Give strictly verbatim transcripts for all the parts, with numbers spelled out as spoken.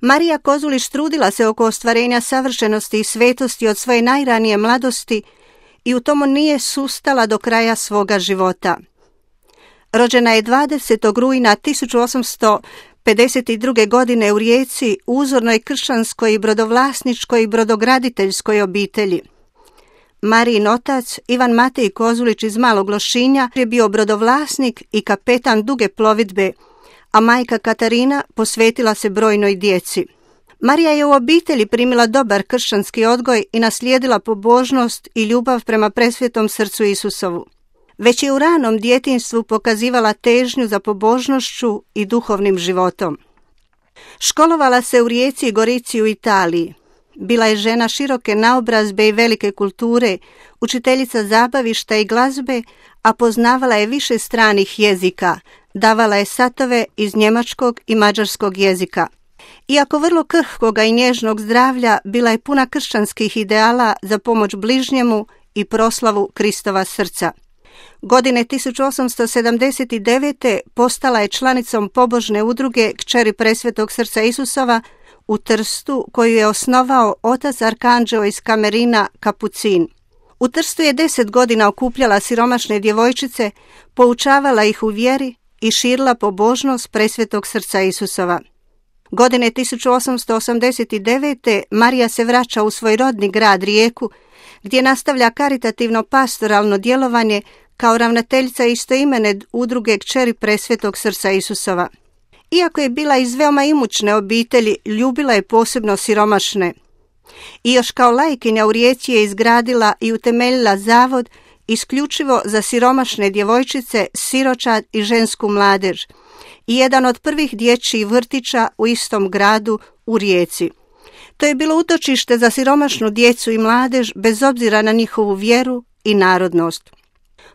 Marija Kozulić trudila se oko ostvarenja savršenosti i svetosti od svoje najranije mladosti i u tomu nije sustala do kraja svoga života. Rođena je dvadesetog rujna tisuću osamsto pedeset druge. godine u Rijeci u uzornoj kršćanskoj, brodovlasničkoj i brodograditeljskoj obitelji. Marijin otac, Ivan Matej Kozulić iz Malog Lošinja, je bio brodovlasnik i kapetan duge plovidbe, a majka Katarina posvetila se brojnoj djeci. Marija je u obitelji primila dobar kršćanski odgoj i naslijedila pobožnost i ljubav prema presvetom srcu Isusovu. Već je u ranom djetinjstvu pokazivala težnju za pobožnošću i duhovnim životom. Školovala se u Rijeci i Gorici u Italiji. Bila je žena široke naobrazbe i velike kulture, učiteljica zabavišta i glazbe, a poznavala je više stranih jezika, davala je satove iz njemačkog i mađarskog jezika. Iako vrlo krhkoga i nježnog zdravlja, bila je puna kršćanskih ideala za pomoć bližnjemu i proslavu Kristova srca. Godine tisuću osamsto sedamdeset devete. postala je članicom pobožne udruge Kćeri presvetog srca Isusova u Trstu, koju je osnovao otac Arkanđeo iz Kamerina Kapucin. U Trstu je deset godina okupljala siromašne djevojčice, poučavala ih u vjeri i širila pobožnost presvetog srca Isusova. Godine tisuću osamsto osamdeset devete. Marija se vraća u svoj rodni grad Rijeku, gdje nastavlja karitativno pastoralno djelovanje kao ravnateljica istoimene udruge Kćeri presvetog srca Isusova. Iako je bila iz veoma imućne obitelji, ljubila je posebno siromašne. I još kao laikinja u Rijeci je izgradila i utemeljila zavod isključivo za siromašne djevojčice, siročad i žensku mladež i jedan od prvih dječjih vrtića u istom gradu u Rijeci. To je bilo utočište za siromašnu djecu i mladež bez obzira na njihovu vjeru i narodnost.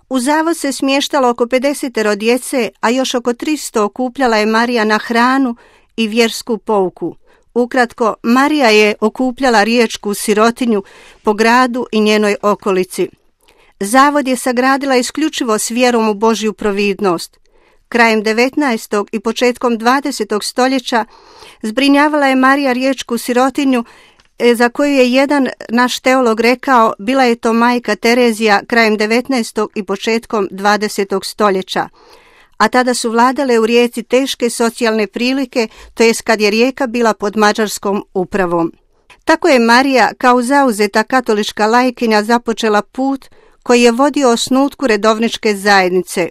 U zavod se smještalo oko pedesetero djece, a još oko tristo okupljala je Marija na hranu i vjersku pouku. Ukratko, Marija je okupljala riječku sirotinju po gradu i njenoj okolici. Zavod je sagradila isključivo s vjerom u Božju providnost. Krajem devetnaestog i početkom dvadesetog stoljeća zbrinjavala je Marija riječku sirotinju, za koju je jedan naš teolog rekao bila je to majka Terezija krajem devetnaestog i početkom dvadesetog stoljeća. A tada su vladale u Rijeci teške socijalne prilike, to jest kad je Rijeka bila pod mađarskom upravom. Tako je Marija kao zauzeta katolička laikinja započela put koji je vodio osnutku redovničke zajednice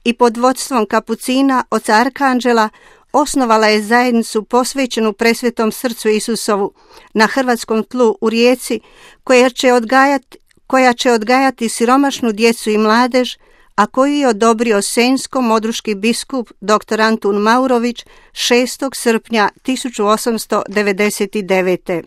i pod vodstvom kapucina oca Arkanđela osnovala je zajednicu posvećenu presvetom srcu Isusovu na hrvatskom tlu u Rijeci, koja će odgajati, koja će odgajati siromašnu djecu i mladež, a koju je odobrio senjsko-modruški biskup dr. Antun Maurović šestog srpnja tisuću osamsto devedeset devete.